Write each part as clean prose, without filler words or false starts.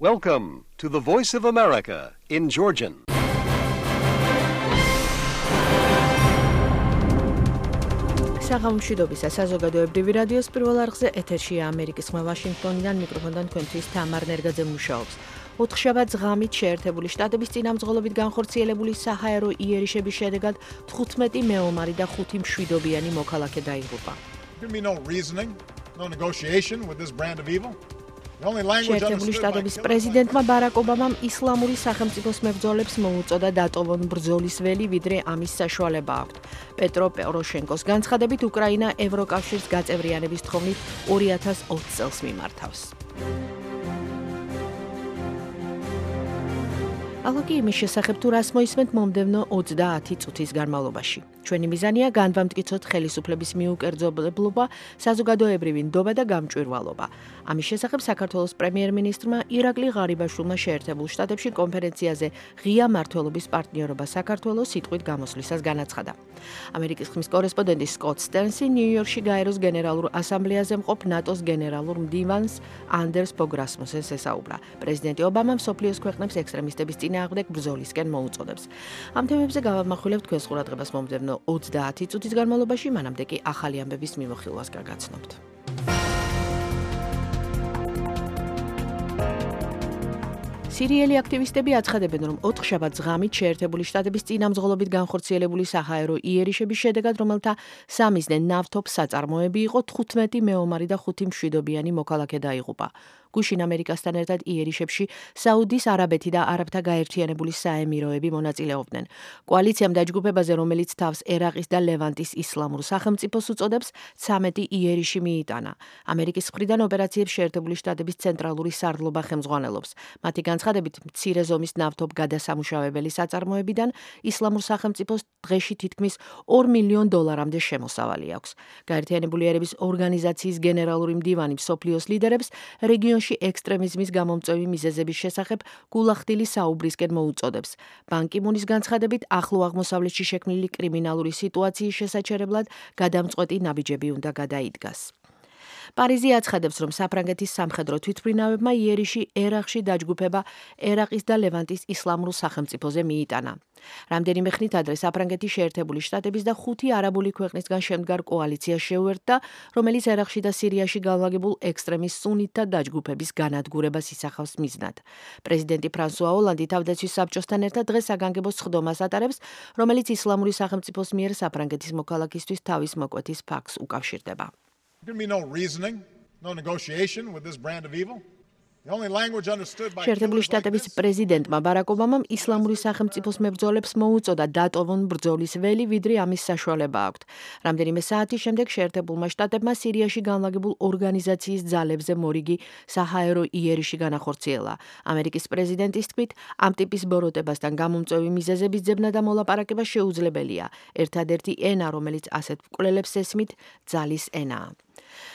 Welcome to the Voice of America in Georgian. საღამომშვიდობისა საზოგადოებრივი რადიოს პირველ არხზე ეთერშია ამერიკის ხმა ვაშინგტონიდან მიკროფონთან თქვენთვის თამარ ნერგაძე მუშაობს. ოთხშაბათს ღამით შეერთებული შტატების წინამძღოლობით განხორციელებული საჰაერო იერიშების შედეგად 15 მეომარი და 5 მშვიდობიანი მოქალაქე დაიღუპა. შეერთებული შტატების პრეზიდენტმა ბარაკ ობამამ ისლამური სახელმწიფოს მებრძოლებს მოუწოდა დატოვონ ბრძოლის ველი, ვიდრე ამის საშუალება აქვთ. პეტრო პოროშენკოს განცხადებით, უკრაინა ევროკავშირს გაწევრიანების თხოვნით 2020 წელს მიმართავს. ალოგი იმის შესახებ თუ რას მოისმენთ მომდევნო 30 წუთის განმავლობაში. ჩვენი მიზანია განვამტკიცოთ ხელისუფლების მიუკერძებლობა, საზოგადოებრივი ნდობა და გამჭვირვალობა. ამის შესახებ საქართველოს პრემიერ-მინისტრმა ირაკლი ღარიბაშვილმა შეერთებულ შტატებში კონფერენციაზე ღია მმართველობის პარტნიორობა საქართველოს სიტყვით გამოსვლისას განაცხადა. ამერიკის ხმის კორესპონდენტი სკოტ სტენსი ნიუ-იორკში გაეროს გენერალურ ასამბლეაზე მყოფ ნატოს გენერალურ მდივანს ანდერს ბოგრასმუსენს ესაუბრა. პრეზიდენტი ობამა მსოფლიოს ქვეყნებს ექსტრემისტების წინააღმდეგ ბრძოლისკენ მოუწოდებს. ამ თემებზე გავამახვილებთ თქვენს ყურადღებას მომდევნო 30 წუთის განმავლობაში, მანამდე კი ახალი ამბების მიმოხილვას გაგაცნობთ. სირიელი აქტივისტები აცხადებენ, რომ 4 შაბათს ღამით შეერთებული შტატების წინამძღოლობით განხორციელებული საჰაერო იერიშების შედეგად, რომელთა 3 მიზნე ნავთობის საწარმოები იყო, 15 მეომარი და 5 მშვიდობიანი მოქალაქე დაიღუპა. გუშინ ამერიკასთან ერთად იერიშებში საუდის არაბეთი და არაბთა გაერთიანებული საემიროები მონაწილეობდნენ. კოალიციამ დაჯგუფებაზე, რომელიც თავს ერაყის და ლევანტის ისლამურ სახელმწიფოს უწოდებს, 13 იერიში მიიტანა. ამერიკის მხრიდან ოპერაციებს შეერთებული შტატების ცენტრალური სარდლობა ხელმძღვანელობს. მათი განცხადებით, მცირე ზომის ნავთობ გადასამუშავებელი საწარმოებიდან ისლამურ სახელმწიფოს დღეში თითქმის $2 მილიონ შემოსავალი აქვს. გაერთიანებული ერების ორგანიზაციის გენერალური მდივანი მსოფლიოს ლიდერებს რეგიონში ექსტრემიზმის გამომწვევი მიზეზების შესახებ გულახდილი საუბრისკენ მოუწოდებს. ბან კი მუნის განცხადებით, ახლო აღმოსავლეთში შექმნილი კრიმინალური სიტუაციის შესაჩერებლად გადამწყვეტი ნაბიჯები უნდა გადაიდგას. პარიზი აცხადებს, რომ საფრანგეთის სამხედრო თვითმფრინავებმა იერიში ერაყში დაჯგუფება ერაყის და ლევანტის ისლამურ სახელმწიფოზე მიიტანა. რამდენიმე ხნით ადრე საფრანგეთის შეერთებული შტატების და 5 არაბული ქვეყნისგან შემდგარ კოალიციას შეუერთდა, რომელიც ერაყში და სირიაში განლაგებულ ექსტრემის სუნიტთა დაჯგუფების განადგურებას ისახავს მიზნად. პრეზიდენტი ფრანსუა ოლანდი თავდაცვის საბჭოსთან ერთად დღეს საგანგებო სხდომას ატარებს, რომელიც ისლამური სახელმწიფოს მიერ საფრანგეთის მოქალაქისთვის თავის მოკვეთის ფაქტს უკავშირდება. შეერთებული შტატების პრეზიდენტმა ბარაკ ობამამ ისლამური სახელმწიფოს მებრძოლებს მოუწოდა დატოვონ ბრძოლის ველი, ვიდრე ამის საშუალება აქვთ. რამდენიმე საათის შემდეგ შეერთებულმა შტატებმა სირიაში განლაგებულ ორგანიზაციის ძალებზე მორიგი საჰაერო იერიში განახორციელა. ამერიკის პრეზიდენტის თქმით, ამ ტიპის ბოროტებასთან გამომწვევი მიზეზების ძებნა და მოლაპარაკება შეუძლებელია. ერთადერთი ენა, რომელიც ასეთ მკვლელებს ესმით, ძალის ენაა.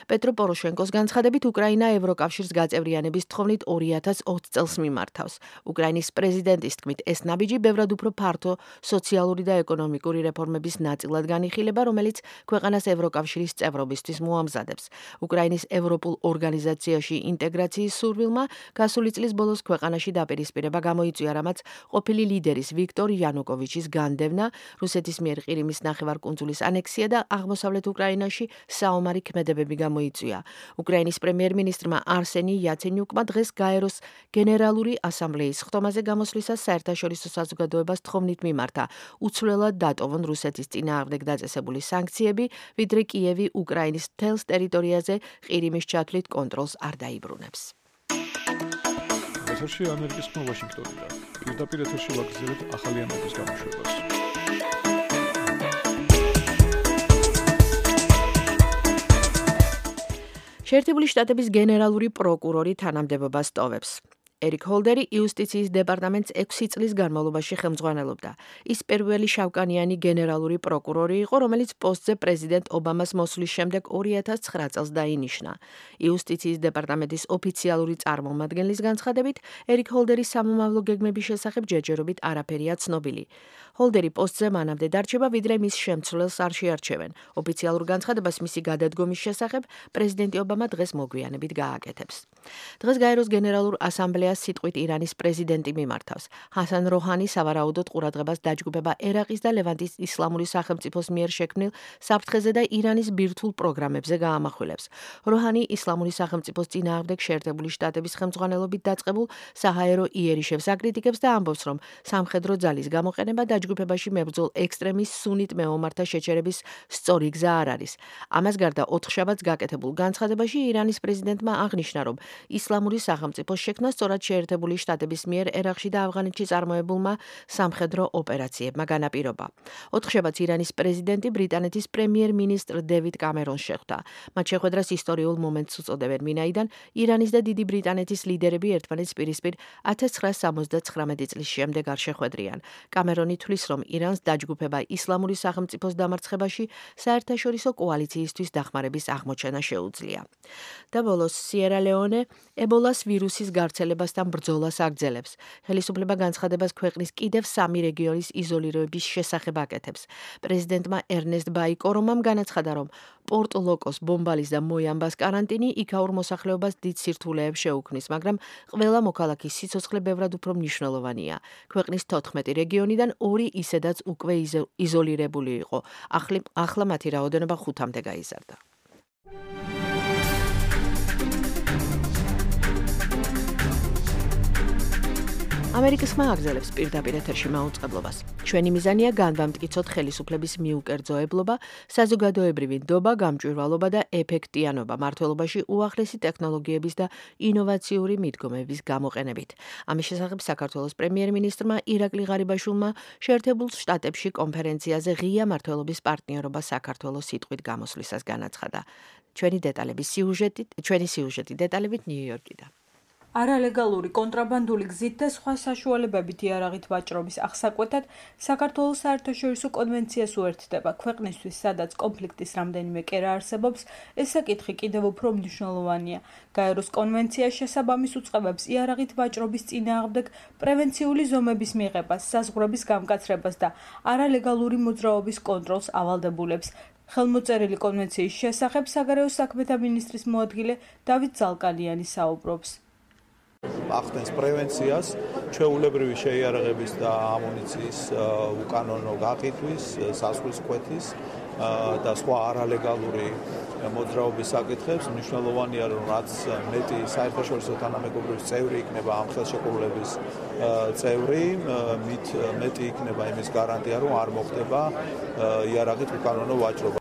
პეტრო პოროშენკოს განცხადებით, უკრაინა ევროკავშირს გაწევრიანების თხოვნით 2020 წელს მიმართავს. უკრაინის პრეზიდენტის თქმით, ეს ნაბიჯი ბევრად უფრო ფართო სოციალური და ეკონომიკური რეფორმების ნაწილად განიხილება, რომელიც ქვეყანას ევროკავშირის წევრობისთვის მოამზადებს. უკრაინის ევროპულ ორგანიზაციაში ინტეგრაციის სურვილმა გასული წლის ბოლოს ქვეყანაში დაპირისპირება გამოიწვია, რამაც ყოფილი ლიდერის ვიქტორ იანუკოვიჩის განდევნა, რუსეთის მიერ ყირიმის ნახევარკუნძულის ანექსია და აღმოსავლეთ უკრაინაში საომარი ქმედებები გამოიწვია. უკრაინის პრემიერ-მინისტრმა არსენი იაცენიუკმა დღეს გაეროს გენერალური ასამბლეის ხდომაზე გამოსვლისას საერთაშორისო საზოგადოებას თხოვნით მიმართა, უცვლელად დატოვონ რუსეთის წინააღმდეგ დაწესებული სანქციები, ვიდრე კიევი უკრაინის მთელს ტერიტორიაზე ყირიმის ჩათვლით კონტროლს არ დაიბრუნებს. ეთერში ამერიკის ხმა ვაშინგტონიდან. პირდაპირ ეთერში ვაგრძელებთ ახალი ამბების გამოშვებას. შეერთებული შტატების გენერალური პროკურორი თანამდებობას ტოვებს. ერიკ ჰოლდერი იუსტიციის დეპარტამენტს 6 წლის განმავლობაში ხელმძღვანელობდა. ის პირველი შავკანიანი გენერალური პროკურორი იყო, რომელიც პოსტზე პრეზიდენტ ობამას მოსვლის შემდეგ 2009 წელს დაინიშნა. იუსტიციის დეპარტამენტის ოფიციალური წარმომადგენლის განცხადებით, ერიკ ჰოლდერის სამომავლო გეგმების შესახებ ჯერჯერობით არაფერია ცნობილი. ჰოლდერი პოსტზე მანამდე დარჩება, ვიდრე მის შემცვლელს არ შეარჩევენ. ოფიციალურ განცხადებას მისი გადადგომის შესახებ პრეზიდენტი ობამა დღეს მოგვიანებით გააკეთებს. დღეს გაეროს გენერალურ ასამბლეას იდეას სიტყვით ირანის პრეზიდენტი მიმართავს. ჰასან როჰანი სავარაუდოდ ყურადღებას დაჯგუფება ერაყის და ლევანტის ისლამური სახელმწიფოს მიერ შექმნილ საფრთხეზე და ირანის ბირთვულ პროგრამებზე გაამახვილებს. როჰანი ისლამური სახელმწიფოს წინააღმდეგ შეერთებული შტატების ხელმძღვანელობით დაწყებულ საჰაერო იერიშებს აკრიტიკებს და ამბობს, რომ სამხედრო ძალის გამოყენება დაჯგუფებაში მებრძოლ ექსტრემის სუნით მეომართა შეჩერების სწორი გზა არ არის. ამას გარდა 4 შაბათს გაკეთებულ განცხადებაში ირანის პრეზიდენტმა აღნიშნა, რომ ისლამური სახელმწიფოს შექმნა სწორად შეერთებული შტატების მიერ ერაყში და ავღანეთში წარმოებულმა სამხედრო ოპერაციებმა განაპირობა. 4 შაბათს ირანის პრეზიდენტი ბრიტანეთის პრემიერ-მინისტრ დევიდ კამერონს შეხვდა. მათ შეხვედრას ისტორიულ მომენტს უწოდებენ, ვინაიდან ირანის და დიდი ბრიტანეთის ლიდერები ერთმანეთს პირისპირ 1979 წლის შემდეგ არ შეხვედრიან. კამერონი თვლის, რომ ირანს დაჯგუფება ისლამური სახელმწიფოს დამარცხებაში საერთაშორისო კოალიციისთვის დახმარების აღმოჩენა შეუძლია. და ბოლოს სიერა-ლეონე ებოლას ვირუსის გავრცელებასთან ბრძოლას აგრძელებს. ხელისუფლება განცხადებას ქვეყნის კიდევ 3 რეგიონის იზოლირების შესახებ აკეთებს. პრეზიდენტმა ერნესტ ბაი კორომამ განაცხადა, რომ პორტ-ლოკოს, ბომბალის და მოიამბას კარანტინი იქაურ მოსახლეობას დიდ სირთულეებს შეუქმნის, მაგრამ ყველა მოქალაქის სიცოცხლე ბევრად უფრო მნიშვნელოვანია. ქვეყნის 14 რეგიონიდან 2 ისედაც უკვე იზოლირებული იყო. ახლა მათი რაოდენობა 5-მდე გაიზარდა. ამერიკის ხმა აგრძელებს პირდაპირ ეთერში მაუწყებლობას. ჩვენი მიზანია განვამტკიცოთ ხელისუფლების მიუკერძოებლობა, საზოგადოებრივი ნდობა, გამჭვირვალობა და ეფექტიანობა მმართველობაში უახლესი ტექნოლოგიების და ინოვაციური მიდგომების გამოყენებით. ამის შესახებ საქართველოს პრემიერ-მინისტრმა ირაკლი ღარიბაშვილმა შეერთებულ შტატებში კონფერენციაზე ღია მმართველობის პარტნიორობა საქართველოს სიტყვით გამოსვლისას განაცხადა. ჩვენი სიუჟეტი დეტალებით ნიუ-იორკიდან. არალეგალური კონტრაბანდული გზით და სხვა საშუალებებით იარაღით ვაჭრობის აღსაკვეთად საქართველოს საერთაშორისო კონვენციას უერთდება. ქვეყნისთვის, სადაც კონფლიქტის რამდენიმე კერა არსებობს, ეს საკითხი კიდევ უფრო მნიშვნელოვანია. გაეროს კონვენცია შესაბამის უწყებებს იარაღით ვაჭრობის წინააღმდეგ პრევენციული ზომების მიღებას, საზღვრების გამკაცრებას და არალეგალური მოძრაობის კონტროლს ავალდებულებს. ხელმოწერილი კონვენციის შესახებ საგარეო საქმეთა მინისტრის მოადგილე დავით ზალკალიანი საუბრობს. ახდენს პრევენციას, ჩვეულებრივი შეიარაღების და ამუნიციის უკანონო გაყიდვის, სასხლის კვეთის და სხვა არალეგალური მოძრაობის საკითხებს. მნიშვნელოვანია, რომ რაც მეტი საერთაშორისო თანამეგობრობის წევრი იქნება ამ ხელშეკრულების წევრი, მით მეტი იქნება იმის გარანტია, რომ არ მოხდება იარაღით უკანონო ვაჭრობა.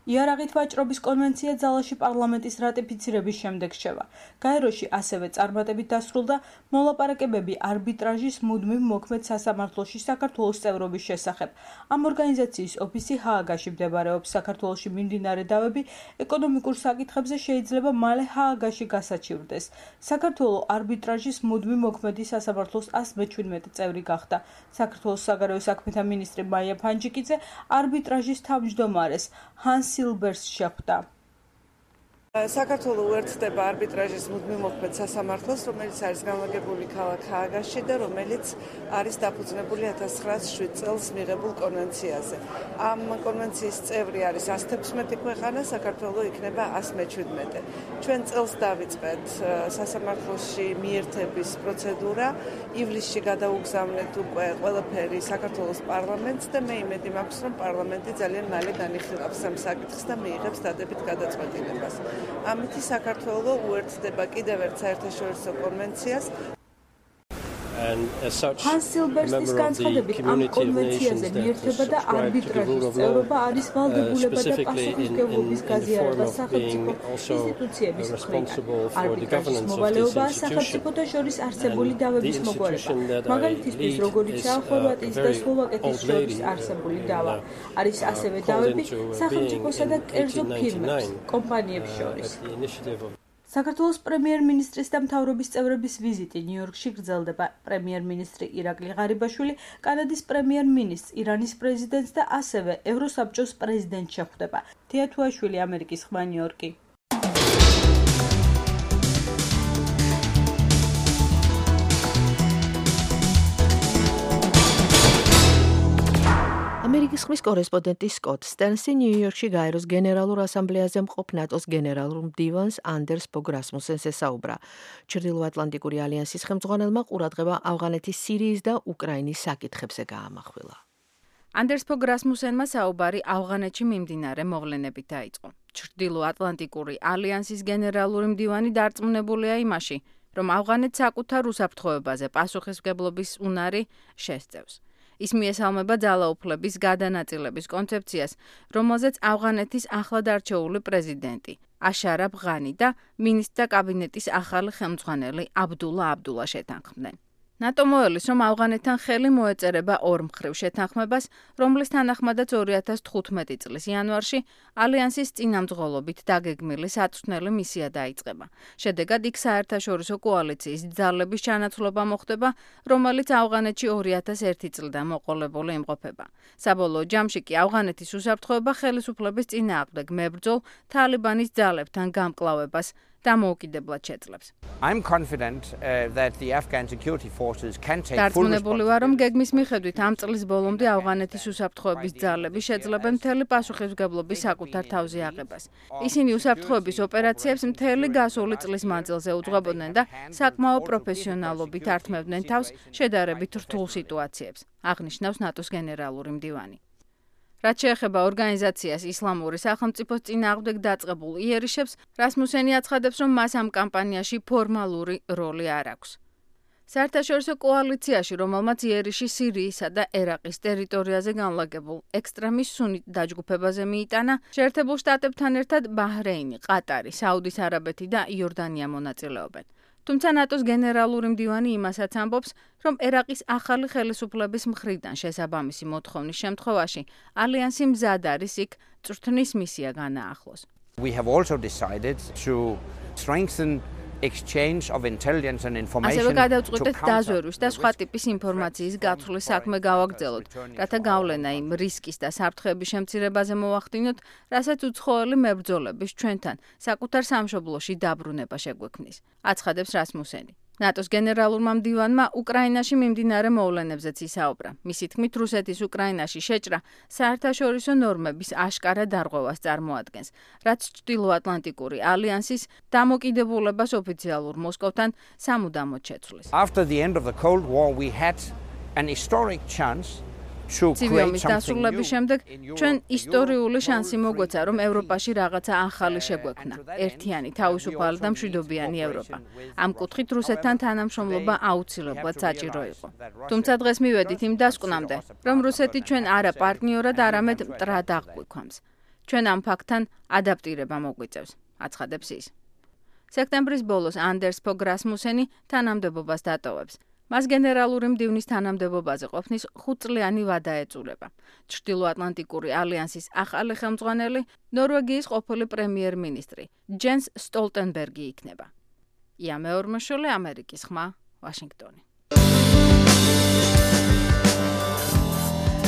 იარაღით ვაჭრობის კონვენცია ძალაში პარლამენტის რატიფიცირების შემდეგ შევა. გაეროში ასევე წარმატებით დასრულდა მოლაპარაკებები არბიტრაჟის მუდმივ მოქმედ სასამართლოში საქართველოს წევრობის შესახებ. ამ ორგანიზაციის ოფისი ჰააგაში მდებარეობს. საქართველოში მიმდინარე დავები ეკონომიკურ საკითხებზე შეიძლება მალე ჰააგაში გასაჩივრდეს. საქართველო არბიტრაჟის მუდმივ მოქმედი სასამართლოს 117 წევრი გახდა. საქართველოს საგარეო საქმეთა მინისტრი მაია ფანჯიკიძე არბიტრაჟის თავმჯდომარეს ჰანს სილბერს შეხვდა. საქართველო უერთდება არბიტრაჟის მუდმივ მოქმედ სასამართლოს, რომელიც არის განლაგებული ქალაქ ჰააგაში და რომელიც არის დაფუძნებული 1907 წელს მიღებულ კონვენციაზე. ამ კონვენციის წევრი არის 116 ქვეყანა, საქართველო იქნება 117. ჩვენ წელს დავიწყეთ სასამართლოში მიერთების პროცედურა, ივლისში გადაუგზავნეთ უკვე ყველაფერი საქართველოს პარლამენტს და მე იმედი მაქვს, რომ პარლამენტი ძალიან მალე განიხილავს ამ საკითხს და მიიღებს დადებით გადაწყვეტილებას. ამით საქართველო უერთდება კიდევ ერთ საერთაშორისო კონვენციას. ჰანს სილბერსის განცხადებით ამ კონვენციაზე მიერთება და არბიტრაჟის წევრობა არის ვალდებულება და პასუხისმგებლობის გაზიარება სახელმწიფო ინსტიტუციების მხრიდან. არბიტრაჟის მოვალეობაა სახელმწიფოთა შორის არსებული დავების მოგვარება. მაგალითისთვის, როგორიცაა ხორვატიის და სლოვაკეთის შორის არსებული დავა. არის ასევე დავები სახელმწიფოსა და კერძო ფირმებს, კომპანიებს შორის. საქართველოს პრემიერ-მინისტრის და მთავრობის წევრების ვიზიტი ნიუ-იორკში გრძელდება. პრემიერ-მინისტრი ირაკლი ღარიბაშვილი კანადის პრემიერ-მინისტრს, ირანის პრეზიდენტს და ასევე ევროსაბჭოს პრეზიდენტს შეხვდება. თია თუაშვილი, ამერიკის ხმა, ნიუ-იორკი. ამერიკის ხმის კორესპონდენტი სკოტ სტერნსი ნიუ-იორკში გაეროს გენერალურ ასამბლეაზე მყოფ ნატოს გენერალურ მდივანს ანდერს ბოგ რასმუსენს ესაუბრა. ჩრდილოატლანტიკური ალიანსის ხელმძღვანელმა ყურადღება ავღანეთის, სირიის და უკრაინის საკითხებზე გაამახვილა. ანდერს ბოგ რასმუსენმა საუბარი ავღანეთში მიმდინარე მოვლენებით დაიწყო. ჩრდილოატლანტიკური ალიანსის გენერალური მდივანი დარწმუნებულია იმაში, რომ ავღანეთს საკუთარ უსაფრთხოებაზე პასუხისმგებლობის უნარი შესწევს. ის მიესალმება ძალაუფლების გადანაწილების კონცეფციას, რომელზეც ავღანეთის ახლად არჩეული პრეზიდენტი აშარაფ ღანი და მინისტრთა კაბინეტის ახალი ხელმძღვანელი აბდულა შეთანხმდნენ. ნატო მოელის, რომ ავღანეთთან ხელი მოეწერება ორმხრივ შეთანხმებას, რომლის თანახმადაც 2015 წლის იანვარში ალიანსის წინამძღოლობით დაგეგმილი საწვრთნელი მისია დაიწყება. შედეგად იქ საერთაშორისო კოალიციის ძალების ჩანაცვლება მოხდება, რომელიც ავღანეთში 2001 წლიდან მოყოლებული იმყოფება. საბოლოო ჯამში კი ავღანეთის უსაფრთხოება ხელისუფლების წინააღმდეგ მებრძოლ თალიბანის ძალებთან გამკლავებას დამოუკიდებლად შეძლებს. I'm confident that the Afghan security forces can take full დარწმუნებული ვარ, რომ გეგმის მიხედვით ამ წლის ბოლომდე ავღანეთის უსაფრთხოების ძალები შეძლებენ მთელი პასუხისმგებლობის საკუთარ თავზე აღებას. ისინი უსაფრთხოების ოპერაციებს მთელი გასული წლის მანძილზე უძღვებოდნენ და საკმაო პროფესიონალობით ართმევდნენ თავს შედარებით რთულ სიტუაციებს, აღნიშნავს ნატოს გენერალური მდივანი. რაც შეეხება ორგანიზაციას ისლამური სახელმწიფოს წინააღმდეგ დაწყებულ იერიშებს, რასმუსენი აცხადებს, რომ მას ამ კამპანიაში ფორმალური როლი არ აქვს. საერთაშორისო კოალიციაში, რომელმაც იერიში სირიისა და ერაყის ტერიტორიაზე განლაგებულ ექსტრემის სუნით დაჯგუფებაზე მიიტანა, შეერთებულ შტატებთან ერთად ბაჰრეინი, ყატარი, საუდის არაბეთი და იორდანია მონაწილეობენ. თუმცა ნატოს გენერალური მდივანი იმასაც ამბობს, რომ ერაყის ახალი ხელისუფლების მხრიდან შესაბამისი მოთხოვნის შემთხვევაში ალიანსი მზად არის იქ წვრთნის მისია განაახლოს. We have also decided to strengthen exchange of intelligence and information. ასევე გადავწყვიტეთ დაზვერვის და სხვა ტიპის ინფორმაციის გაცვლის საქმე გავაგრძელოთ, რათა გავლენა იმ რისკის და საფრთხეების შემცირებაზე მოვახდინოთ, რასაც უცხოელი მებრძოლების ჩვენთან საკუთარ სამშობლოში დაბრუნება შეგვექმნის, აცხადებს რასმუსენი. ნატოს გენერალურმა მდივანმა უკრაინაში მიმდინარე მოვლენებზეც ისაუბრა. მისი თქმით, რუსეთის უკრაინაში შეჭრა საერთაშორისო ნორმების აშკარა დარღვევას წარმოადგენს, რაც ჩრდილოატლანტიკური ალიანსის დამოკიდებულებას ოფიციალურ მოსკოვთან სამუდამოდ შეცვლის. After the end of the Cold War, we had an historic chance to create something დასრულების შემდეგ ჩვენ ისტორიული შანსი მოგვეცა, რომ ევროპაში რაღაცა ახალი შეგვექმნა. ერთიანი, თავისუფალი და მშვიდობიანი ევროპა. ამ კუთხით რუსეთთან თანამშრომლობა აუცილებლად საჭირო იყო. თუმცა დღეს მივედით იმ დასკვნამდე, რომ რუსეთი ჩვენ არა პარტნიორად, არამედ მტრად აღგვიქვამს. ჩვენ ამ ფაქტთან ადაპტირება მოგვიწევს, აცხადებს ის. სექტემბრის ბოლოს ანდერს ბოგ რასმუსენი თანამდებობას დატოვებს. მას გენერალური მდივნის თანამდებობაზე ყოფნის 5 წლიანი ვადა ეწურება. ჩრდილოატლანტიკური ალიანსის ახალი ხელმძღვანელი ნორვეგიის ყოფილი პრემიერ-მინისტრი ჯენს სტოლტენბერგი იქნება. ია მეორმოშოლე, ამერიკის ხმა, ვაშინგტონი.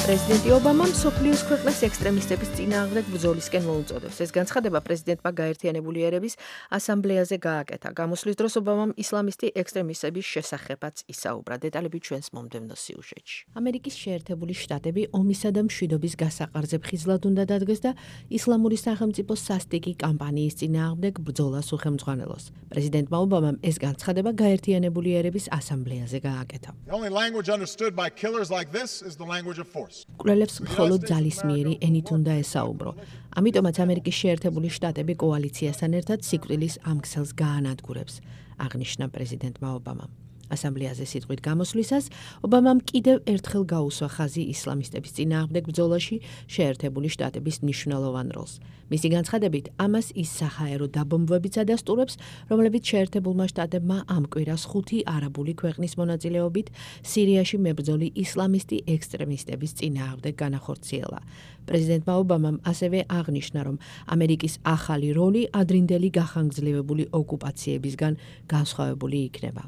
პრეზიდენტი ობამამ მსოფლიოს ქვეყნებს ექსტრემისტების წინააღმდეგ ბრძოლისკენ მოუწოდებს. ეს განცხადება პრეზიდენტმა გაერთიანებული ერების ასამბლეაზე გააკეთა. გამოსვლის დროს ობამამ ისლამისტი ექსტრემისტების შესახებაც ისაუბრა. დეტალები ჩვენს მომდევნო სიუჟეტში. ამერიკის შეერთებული შტატები ომისა და მშვიდობის გასაყარზე ფხიზლად უნდა დადგეს და ისლამური სახელმწიფოს სასტიკი კამპანიის წინააღმდეგ ბრძოლას უხელმძღვანელოს. პრეზიდენტმა ობამამ ეს განცხადება გაერთიანებული ერების ასამბლეაზე გააკეთა. კვლელებს მხოლოდ ძალისმიერი ენით უნდა ესაუბრო. ამიტომაც ამერიკის შეერთებული შტატები კოალიციასთან ერთად სიკვდილის ამ ქსელს გაანადგურებს, აღნიშნა პრეზიდენტმა ობამამ. ასამბლეაზე სიტყვით გამოსვლისას ობამამ კიდევ ერთხელ გაუსვა ხაზი ისლამისტების წინააღმდეგ ბრძოლაში შეერთებული შტატების მნიშვნელოვან როლს. მისი განცხადებით, ამას ის საჰაერო დაბომბვებიც ადასტურებს, რომლებიც შეერთებულმა შტატებმა ამ კვირას 5 არაბული ქვეყნის მონაწილეობით სირიაში მებრძოლი ისლამისტი ექსტრემისტების წინააღმდეგ განახორციელა. პრეზიდენტმა ობამამ ასევე აღნიშნა, რომ ამერიკის ახალი როლი ადრინდელი გახანგრძლივებული ოკუპაციებისგან განსხვავებული იქნება.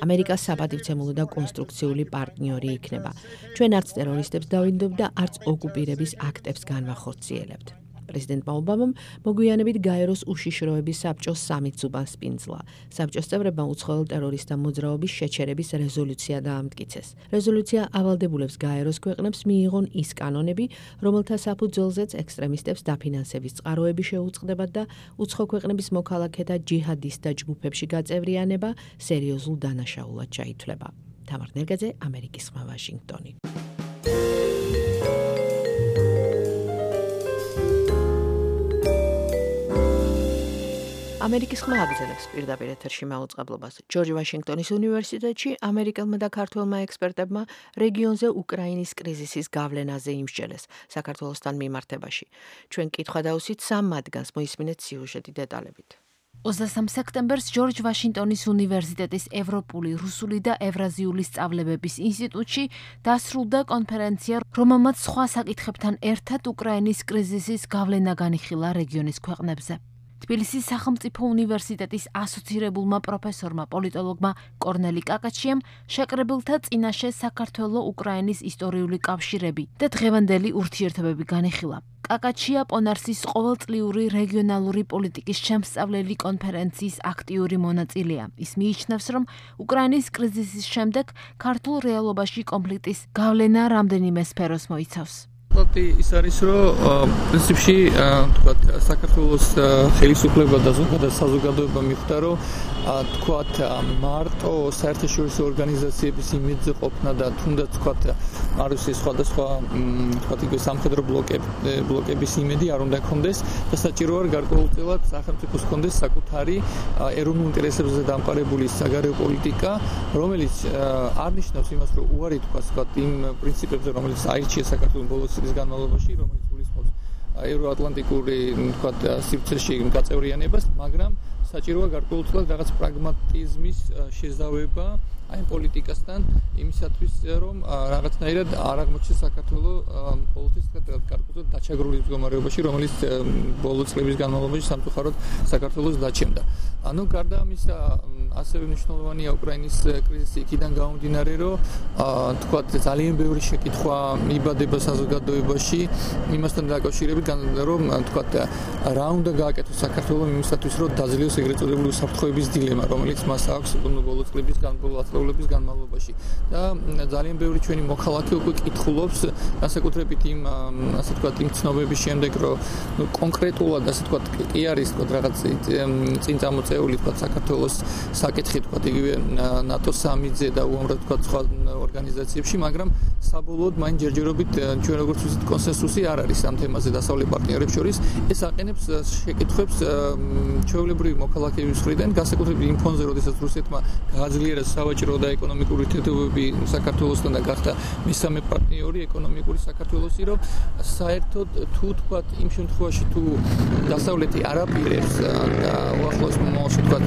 ამერიკა საპატივცემულო და კონსტრუქციული პარტნიორი იქნება. ჩვენ არც ტერორისტებს დავინდობ და არც ოკუპირების აქტებს განვახორციელებთ. პრეზიდენტმა ობამამ მოგვიანებით გაეროს უშიშროების საბჭოს 3 უბანს პინძლა. საბჭოს წევრებმა უცხოელ ტერორისტთა მოძრაობის შეჩერების რეზოლუცია დაამტკიცეს. რეზოლუცია ავალდებულებს გაეროს ქვეყნებს მიიღონ ის კანონები, რომელთა საფუძველზეც ექსტრემისტებს დაფინანსების წყაროები შეუწყდებათ და უცხო ქვეყნების მოქალაქეთა ჯიჰადისტთა ჯგუფებში გაწევრიანება სერიოზულ დანაშაულად ჩაითვლება. თამარ ნერგაძე, ამერიკის ხმა, ვაშინგტონი. ამერიკის ხმა აგრძელებს პირდაპირ ეთერში მაუწყებლობას. ჯორჯ ვაშინგტონის უნივერსიტეტში ამერიკელმა და ქართველმა ექსპერტებმა რეგიონზე უკრაინის კრიზისის გავლენაზე იმსჯელეს საქართველოსთან მიმართებაში. ჩვენ კითხვა დავუსვით 3 მათგანს, მოისმინეთ სიუჟეტი დეტალებით. 23 სექტემბერს ჯორჯ ვაშინგტონის უნივერსიტეტის ევროპული, რუსული და ევრაზიული სწავლებების ინსტიტუტში დასრულდა კონფერენცია, რომელმაც სხვა საკითხებთან ერთად უკრაინის კრიზისის გავლენა განიხილა რეგიონის ქვეყნებზე. თბილისის სახელმწიფო უნივერსიტეტის ასოცირებულმა პროფესორმა პოლიტოლოგმა კორნელი კაკაჩიამ შეკრებილთა წინაშე საქართველო-უკრაინის ისტორიული კავშირები და დღევანდელი ურთიერთობები განიხილა. კაკაჩია პონარსის ყოველწლიური რეგიონალური პოლიტიკის შემსწავლელი კონფერენციის აქტიური მონაწილეა. ის მიიჩნევს, რომ უკრაინის კრიზისის შემდეგ ქართულ რეალობაში კონფლიქტის გავლენა რამდენიმე სფეროს მოიცავს. ის არის, რომ პრინციპში თქვათ საქართველოს ხელისუფლება და ზოგადად საზოგადოება მიხვდა, რომ თქვათ მარტო საერთაშორისო ორგანიზაციების იმედზე ყოფნა და თუნდაც თქვათ მარუსის სხვადასხვა თქვათ იგივე სამხედრო ბლოკების იმედი არ უნდა ჰქონდეს და საჭიროა გარკვეულწილად სახელმწიფოს ჰქონდეს საკუთარი ეროვნულ ინტერესებზე დამყარებული საგარეო პოლიტიკა, რომელიც არ ნიშნავს იმას, რომ უარი თქვათ იმ პრინციპებზე, რომელიც აირჩიეს საქართველოს ბოლოს წლის განმავლობაში, რომელიც გულისხმობს ევროატლანტიკური თქვათ სივრცეში გაწევრიანებას, მაგრამ საჭიროა გარკვეულწილად რაღაც პრაგმატიზმის შეზავება აი პოლიტიკასთან იმისათვის, რომ რაღაცნაირად არ აღმოჩნდეს საქართველოს პოლიტიკის გარკვეულწილად დაჩაგრული მდგომარეობაში, რომელიც ბოლო წლების განმავლობაში სამწუხაროდ საქართველოს დაჩემდა. ანუ გარდა ამისა, ასევე მნიშვნელოვანია უკრაინის კრიზისი იქიდან გამომდინარე, რომ თქვათ ძალიან ბევრი შეკითხვა მიბადება საზოგადოებაში იმასთან დაკავშირებით, რომ თქვათ რა უნდა გააკეთოს საქართველოს იმისათვის, რომ დაძლევს ეგრეთ წოდებული უსაფრთხოების დილემა, რომელიც მას აქვს ბოლო წლების განმავლობაში. და ძალიან ბევრი ჩვენი მოქალაქე უკვე კითხულობს, განსაკუთრებით იმ ასე თქვათ იმ ცნობების შემდეგ, რომ კონკრეტულად ასე თქვათ კი არის თქვათ რაღაც წინ წამოწეული თქვათ საქართველოს საკითხი თქვათ იგივე ნატოს სამიძე და უამრავ თქვათ სხვა ორგანიზაციებში, მაგრამ საბოლოოდ მაინც ჯერჯერობით ჩვენ როგორც ვიცით კონსენსუსი არ არის ამ თემაზე დასავლეთ პარტნიორებს შორის. ეს აყენებს შეკითხვებს ჩვეულებრივი მოქალაქეების მხრიდან, განსაკუთრებით იმ ფონზე, როდესაც რუსეთმა გააძლიერა სავაჭრო და ეკონომიკური ურთიერთობები საქართველოსთან და გახდა მესამე პარტნიორი ეკონომიკური საქართველოსი, რომ საერთოდ თუ თქვათ იმ შემთხვევაში თუ დასავლეთი არ აპირებს და უახლოეს მომავალში თქვათ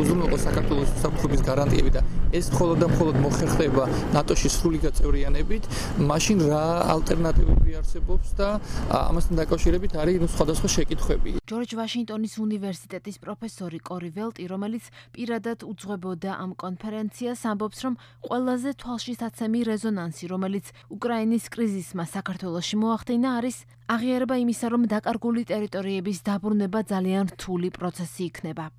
უზრუნველყოს საქართველოს უსაფრთხოების გარანტიები და ეს მხოლოდ და მხოლოდ მოხერხდება ნატოში სრული გაწევრიანებით, მაშინ რა ალტერნატივები არსებობს და ამასთან დაკავშირებით არის სხვადასხვა შეკითხვები. ჯორჯ ვაშინგტონის უნივერსიტეტის პროფესორი კორი ველტი, რომელიც პირადად უძღვებოდა ამ კონფერენციას, ამბობს, რომ ყველაზე თვალშისაცემი რეზონანსი, რომელიც უკრაინის კრიზისმა საქართველოში მოახდინა, არის აღიარება იმისა, რომ დაკარგული ტერიტორიების დაბრუნება ძალიან რთული პროცესი იქნება.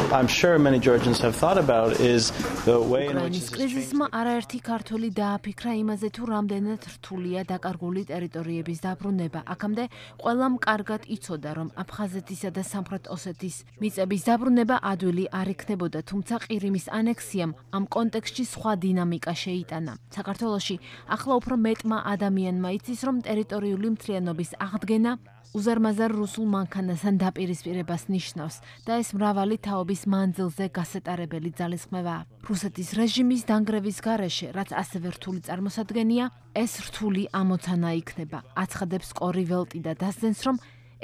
I'm sure many Georgians have thought about is the way in which this კრიზისმა არაერთი ქართველი დააფიქრა იმაზე, თუ რამდენად რთულია დაკარგული ტერიტორიების დაბრუნება. აქამდე ყველამ კარგად იცოდა, რომ აფხაზეთისა და სამხრეთ ოსეთის მიწების დაბრუნება ადვილი არ იქნებოდა, თუმცა ყირიმის ანექსიამ ამ კონტექსტში სხვა დინამიკა შეიტანა. საქართველოში ახლა უფრო მეტმა ადამიანმა იცის, რომ ტერიტორიული მთლიანობის აღდგენა უზარმაზარ რუსულ მანქანასთან დაპირისპირებას ნიშნავს და ეს მრავალი თაობის მანძილზე გასეტარებელი ძალისხმევაა. რუსეთის რეჟიმის დანგრევის გარეშე, რაც ასევე რთული წარმოსადგენია, ეს რთული ამოცანა იქნება. აცხადებს კორი ველტი და დასძენს, რომ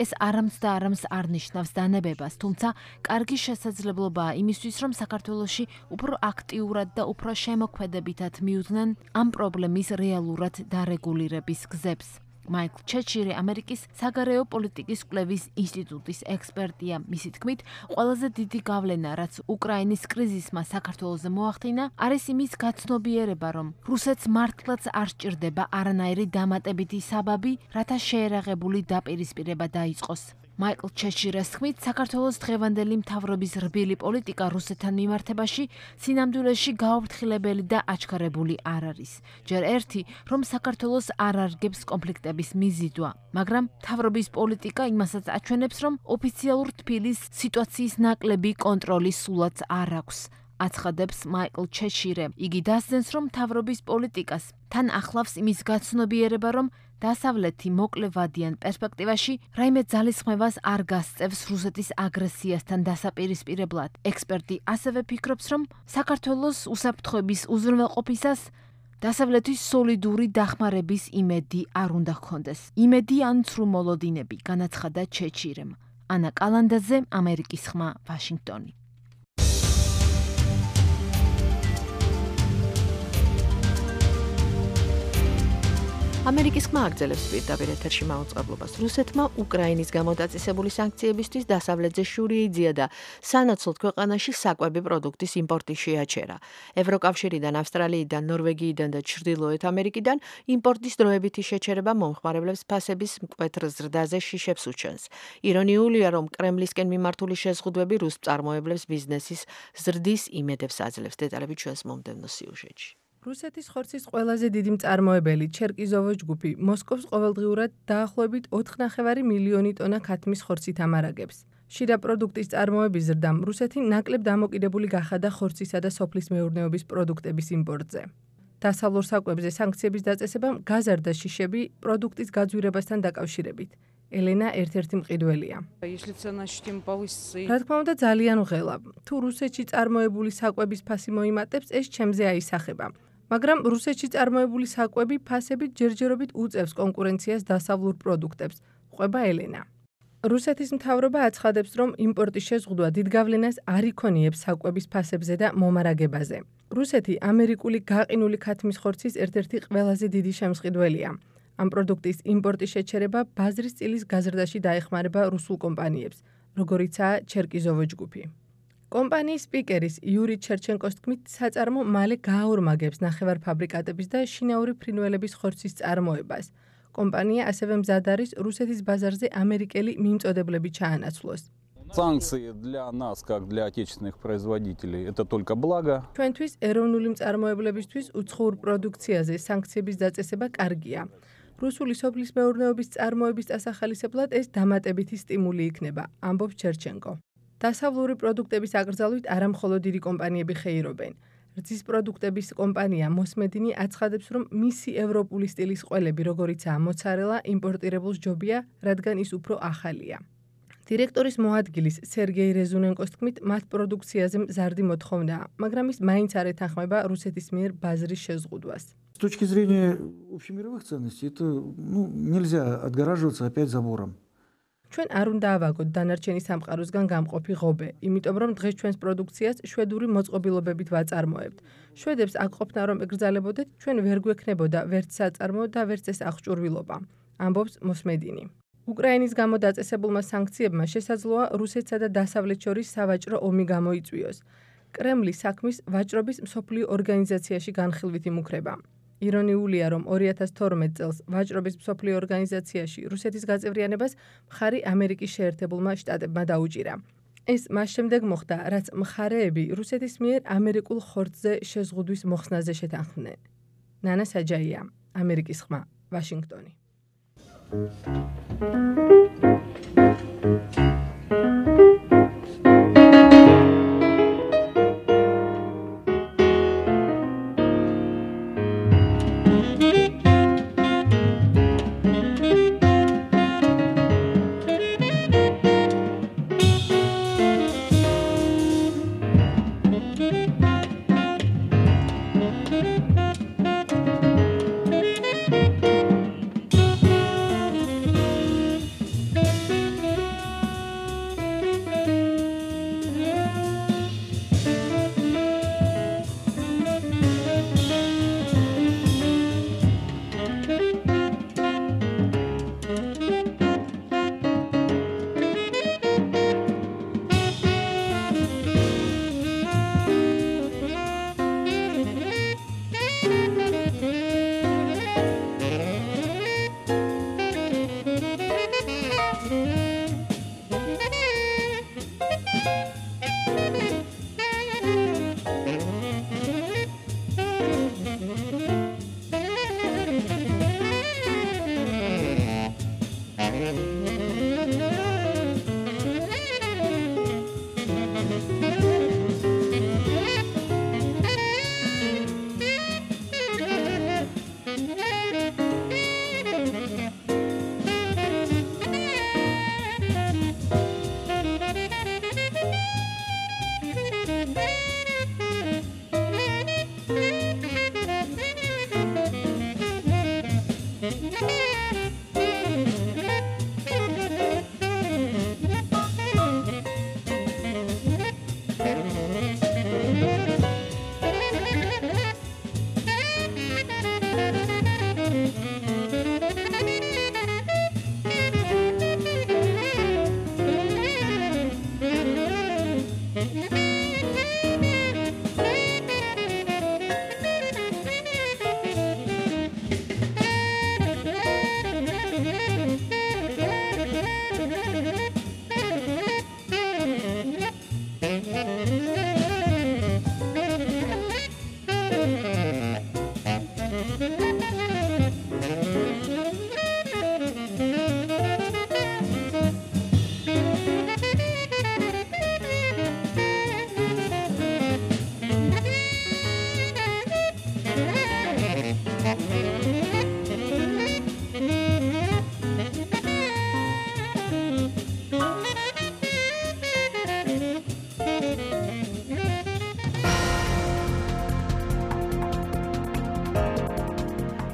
ეს არამც და არამც არ ნიშნავს დანებებას, თუმცა კარგი შესაძლებლობაა იმისთვის, რომ საქართველოში უფრო აქტიურად და უფრო შემოქმედებითად მიუძღნენ ამ პრობლემის რეალურად დარეგულირების გზებს. მაიკლ ჩეჩირი ამერიკის საგარეო პოლიტიკის კვლევის ინსტიტუტის ექსპერტია. მისი თქმით, ყველაზე დიდი გავლენა, რაც უკრაინის კრიზისმა საქართველოზე მოახდინა, არის იმის გაცნობიერება, რომ რუსეთს მართლაც არ სჭირდება არანაირი დამატებითი საბაბი, რათა შეერაღებული დაპირისპირება დაიწყოს. მაიკლ ჩეჩირას თქმით, საქართველოს დღევანდელი მთავრობის რბილი პოლიტიკა რუსეთთან მიმართებაში სინამდვილეში გაუფრთხილებელი და აჩქარებული არ არის. ჯერ ერთი, რომ საქართველოს არ არგებს კონფლიქტების მიზიდვა, მაგრამ მთავრობის პოლიტიკა იმასაც აჩვენებს, რომ ოფიციალურ თბილის სიტუაციის ნაკლები კონტროლი სულაც არ აქვს. აცხადებს მაიკლ ჩეჩირე. იგი დასძენს, რომ მთავრობის პოლიტიკას თან ახლავს იმის გაცნობიერება, რომ დასავლეთი მოკლევადიან პერსპექტივაში რაიმე ძალისხმევას არ გასწევს რუსეთის აგრესიასთან დასაპირისპირებლად. ექსპერტი ასევე ფიქრობს, რომ საქართველოს უსაფრთხოების უზრუნველყოფისას დასავლეთის სოლიდური დახმარების იმედი არ უნდა ჰქონდეს. იმედი ან ცრუ მოლოდინები, განაცხადა ჩეჩირემ. ანა კალანდაძე, ამერიკის ხმა, ვაშინგტონი. ამერიკის ხმა აგრძელებს პირდაპირ ეთერში მაუწყებლობას. რუსეთმა უკრაინის გამოდაწესებული სანქციებისთვის დასავლეთზე შური იძია და სანაცვლოდ ქვეყანაში საკვები პროდუქტის იმპორტი შეაჩერა. ევროკავშირიდან, ავსტრალიიდან, ნორვეგიიდან და ჩრდილოეთ ამერიკიდან იმპორტის დროებითი შეჩერება მომხმარებლებს ფასების მკვეთრ ზრდაზე შიშებს უჩენს. ირონიულია, რომ კრემლისკენ მიმართული შეზღუდვები რუს მწარმოებლებს ბიზნესის ზრდის იმედებს აძლევს. დეტალები ჩვენს მომდევნო სიუჟეტში. რუსეთის ხორცის ყველაზე დიდი მწარმოებელი ჩერკიზოვო ჯგუფი მოსკოვს ყოველდღიურად დაახლოებით 4,5 მილიონი ტონა ქათმის ხორცით ამარაგებს. შიდა პროდუქტის წარმოების ზრდამ რუსეთი ნაკლებ დამოკიდებული გახადა ხორცისა და სოფლის მეურნეობის პროდუქტების იმპორტზე. დასავლურ საკვებზე სანქციების დაწესებამ გაზარდა შიშები პროდუქტის გაძვირებასთან დაკავშირებით. ელენა ერთ-ერთი მყიდველია. რა თქმა უნდა ძალიან ღელა. თუ რუსეთში წარმოებული საკვების ფასი მოიმატებს, ეს ჩემზე აისახება. მაგრამ რუსეთში წარმოებული საკვები ფასებით ჯერჯერობით უწევს კონკურენციას დასავლურ პროდუქტებს, ყვება ელენა. რუსეთის მთავრობა აცხადებს, რომ იმპორტის შეზღუდვა დიდ გავლენას არ იქონიებს საკვების ფასებზე და მომარაგებაზე. რუსეთი ამერიკული გაყინული ქათმის ხორცის ერთ-ერთი ყველაზე დიდი შემსყიდველია. ამ პროდუქტის იმპორტის შეჩერება ბაზრის წილის გაზრდაში დაეხმარება რუსულ კომპანიებს, როგორიცაა ჩერკიზოვო ჯგუფი. კომპანიის სპიკერის იური ჩერჩენკოს თქმით, საწარმო მალე გააორმაგებს ნახევარფაბრიკატების და შინაური ფრინველების ხორცის წარმოებას. კომპანია ასევე მზად არის რუსეთის ბაზარზე ამერიკელი მიმწოდებლები ჩაანაცვლოს. Санкции для нас, как для отечественных производителей, это только благо. ჩვენთვის ეროვნული მწარმოებლებისთვის უცხოურ პროდუქციაზე სანქციების დაწესება კარგია. რუსული სოფლის მეურნეობის წარმოების დასახალისებლად ეს დამატებითი სტიმული იქნება, ამბობს ჩერჩენკო. დასავლური პროდუქტების აკრძალვით არა მხოლოდ დიდი კომპანიები ხეირობენ. რძის პროდუქტების კომპანია მოსმედინი აცხადებს, რომ მისი ევროპული სტილის ყველები, როგორიცაა მოცარელა, იმპორტირებულს ჯობია, რადგან ის უფრო ახალია. დირექტორის მოადგილის სერგეი რეზუნენკოს თქმით, მათ პროდუქციაზე მზარდი მოთხოვნაა, მაგრამ ის მაინც არ ეთანხმება რუსეთის მიერ ბაზრის შეზღუდვას. С точки зрения общемировых ценностей, это нельзя отгораживаться опять забором. ჩვენ არ უნდა ავაგოთ დანარჩენი სამყაროსგან გამყოფი ღობე, იმიტომ რომ დღეს ჩვენს პროდუქციას შვედური მოწყობილობებით ვაწარმოებთ. შვედებს აქ ყოფნა რომ ეკრძალებოდეთ, ჩვენ ვერ გვექნებოდა ვერც საწარმო და ვერც ეს აღჭურვილობა, ამბობს მოსმედინი. უკრაინის გამო დაწესებულმა სანქციებმა შესაძლოა რუსეთსა და დასავლეთს შორის სავაჭრო ომი გამოიწვიოს. კრემლი საქმის ვაჭრობის მსოფლიო ორგანიზაციაში განხილვით იმუქრება. ირონიულია, რომ 2012 წელს ვაჭრობის მსოფლიო ორგანიზაციაში რუსეთის გაწევრიანებას მხარი ამერიკის შეერთებულმა შტატებმა დაუჭირა. ეს მას შემდეგ მოხდა, რაც მხარეები რუსეთის მიერ ამერიკულ ხორცზე შეზღუდვის მოხსნაზე შეთანხმდნენ. ნანა საჯაია, ამერიკის ხმა, ვაშინგტონი.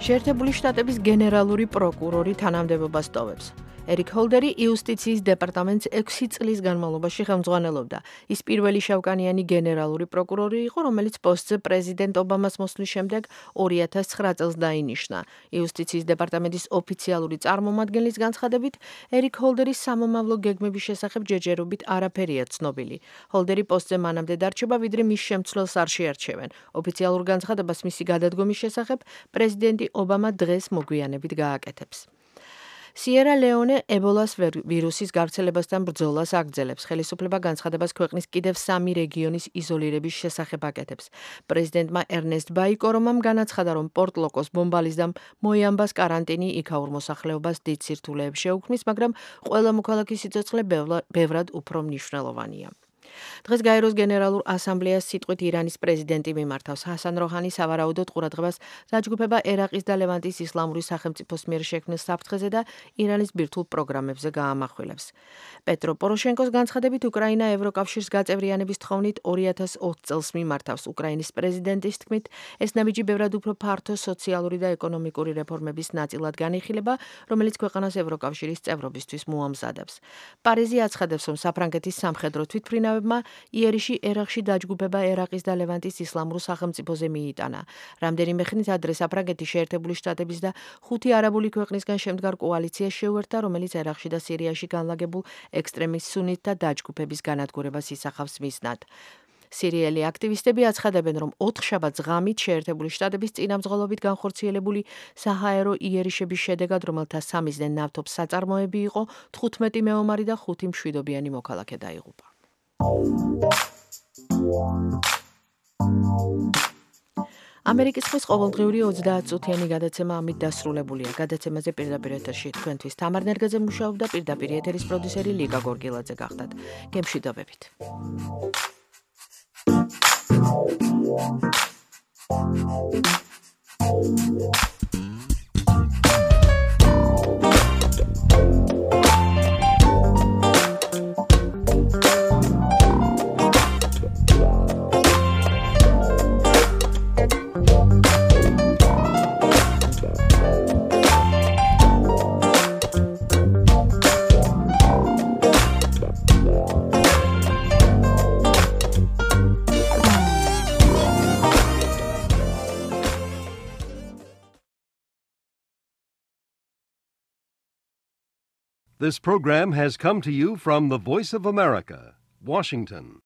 შეერთებული შტატების გენერალური პროკურორი თანამდებობას ტოვებს. ერიკ ჰოლდერი იუსტიციის დეპარტამენტს 6 წლის განმავლობაში ხელმძღვანელობდა. ის პირველი შავკანიანი გენერალური პროკურორი იყო, რომელიც პოსტზე პრეზიდენტ ობამას მოსვლის შემდეგ 2009 წელს დაინიშნა. იუსტიციის დეპარტამენტის ოფიციალური წარმომადგენლის განცხადებით, ერიკ ჰოლდერის სამომავლო გეგმების შესახებ ჯერჯერობით არაფერია ცნობილი. ჰოლდერი პოსტზე მანამდე დარჩება, ვიდრე მის შემცვლელს არ შეარჩევენ. ოფიციალურ განცხადებას მისი გადადგომის შესახებ პრეზიდენტი ობამა დღეს მოგვიანებით გააკეთებს. სიერა ლეონე ებოლას ვირუსის გავრცელებასთან ბრძოლას აგრძელებს. ხელისუფლება განცხადებას ქვეყნის კიდევ 3 რეგიონის იზოლირების შესახებ აკეთებს. პრეზიდენტმა ერნესტ ბაიკორომამ განაცხადა, რომ პორტ-ლოკოს ბომბალისდამ მოიამბას კარანტინი იქაურ მოსახლეობას დიდ სირთულეებს შეუქმნის, მაგრამ ყველა მოქალაქის სიცოცხლე ბევრად უფრო მნიშვნელოვანია. დღეს გაეროს გენერალურ ასამბლეას სიტყვით ირანის პრეზიდენტი მიმართავს. ჰასან როჰანი სავარაუდოდ ყურადღებას დაჯგუფება ერაყის და ლევანტის ისლამური სახელმწიფოს მიერ შექმნილ საფრთხეზე და ირანის ბირთვულ პროგრამებზე გაამახვილებს. პეტრო პოროშენკოს განცხადებით, უკრაინა ევროკავშირს გაწევრიანების თხოვნით 2020 წელს მიმართავს. უკრაინის პრეზიდენტის თქმით, ეს ნაბიჯი ბევრად უფრო ფართო სოციალური და ეკონომიკური რეფორმების ნაწილად განიხილება, რომელიც ქვეყანას ევროკავშირის წევრობისთვის მოამზადებს. პარიზი აცხადებს, რომ საფრანგეთის სამხედრო თვითმფრინავებმა იერიში ერაყში დაჯგუფება ერაყის და ლევანტის ისლამურ სახელმწიფოზე მიიტანა. რამდენიმე ხნით ადრე საფრანგეთი შეერთებული შტატების და 5 არაბული ქვეყნისგან შემდგარ კოალიციას შეუერთდა, რომელიც ერაყში და სირიაში განლაგებულ ექსტრემის სუნიტთა დაჯგუფების განადგურებას ისახავს მიზნად. სირიელი აქტივისტები აცხადებენ, რომ 4 შაბათს ღამით შეერთებული შტატების წინამძღოლობით განხორციელებული საჰაერო იერიშების შედეგად, რომელთა 3-ზე ნავთობის საწარმოები იყო, 15 მეომარი და 5 მშვიდობიანი მოქალაქე დაიღუპა. ამერიკის ხმის ყოველდღიური 30 წუთიანი გადაცემა ამით დასრულებულია. გადაცემაზე პირდაპირ ეთერში თქვენთვის თამარ ნერგაძე მუშაობდა, პირდაპირ ეთერის პროდიუსერი ლიკა გორგილაძე გახდათ. გემშვიდობებით. This program has come to you from the Voice of America, Washington.